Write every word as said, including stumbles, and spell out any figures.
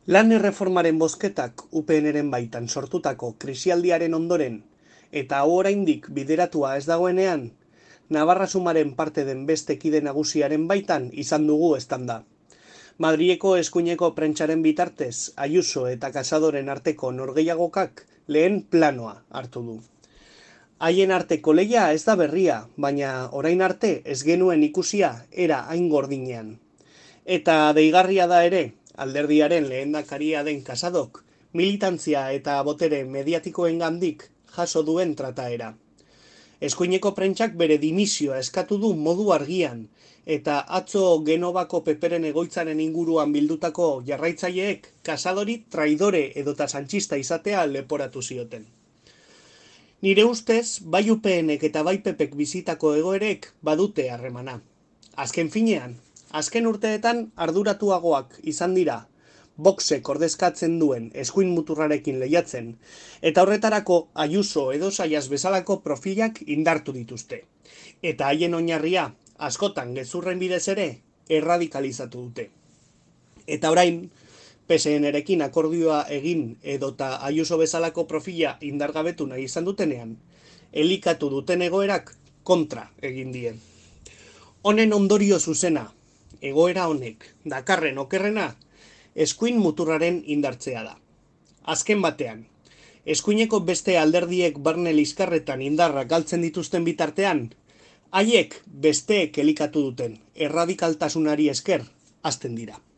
Lan erreformaren bozketak U P Nren baitan sortutako krisialdiaren ondoren eta hau oraindik bideratua ez dagoenean, Navarra Sumaren parte den beste kide nagusiaren baitan izan dugu eztanda. Madrileko eskuineko prentsaren bitartez, Ayuso eta Casadoren arteko norgehiagokak lehen planoa hartu du. Haien arteko lehia ez da berria, baina orain arte ez genuen ikusia era hain gordinean. Eta deigarria da ere, alderdiaren lehendakaria den Casadok, militantzia eta botere mediatikoengandik jaso duen trataera. Eskuineko prentsak bere dimisioa eskatu du modu argian, eta atzo Genovako peperen egoitzaren inguruan bildutako jarraitzaileek Casadori traidore edota sanchista izatea leporatu zioten. Nire ustez, bai U P Nek eta bai P Pek bizitako egoerek badute harremana. Azken finean, azken urteetan arduratuagoak izan dira, Voxek ordezkatzen duen eskuin muturrarekin lehiatzen, eta horretarako Ayuso edo Zayas bezalako profilak indartu dituzte. Eta haien oinarria, askotan gezurren bidez ere, erradikalizatu dute. Eta orain, P S N-rekin akordioa egin edota Ayuso bezalako profila indargabetu nahi izan dutenean, elikatu duten egoerak kontra egin die. Honen ondorio zuzena, egoera honek, dakarren okerrena, eskuin muturraren indartzea da. Azken batean, eskuineko beste alderdiek barne liskarretan indarrak galtzen dituzten bitartean, haiek besteek elikatu duten erradikaltasunari esker hasten dira.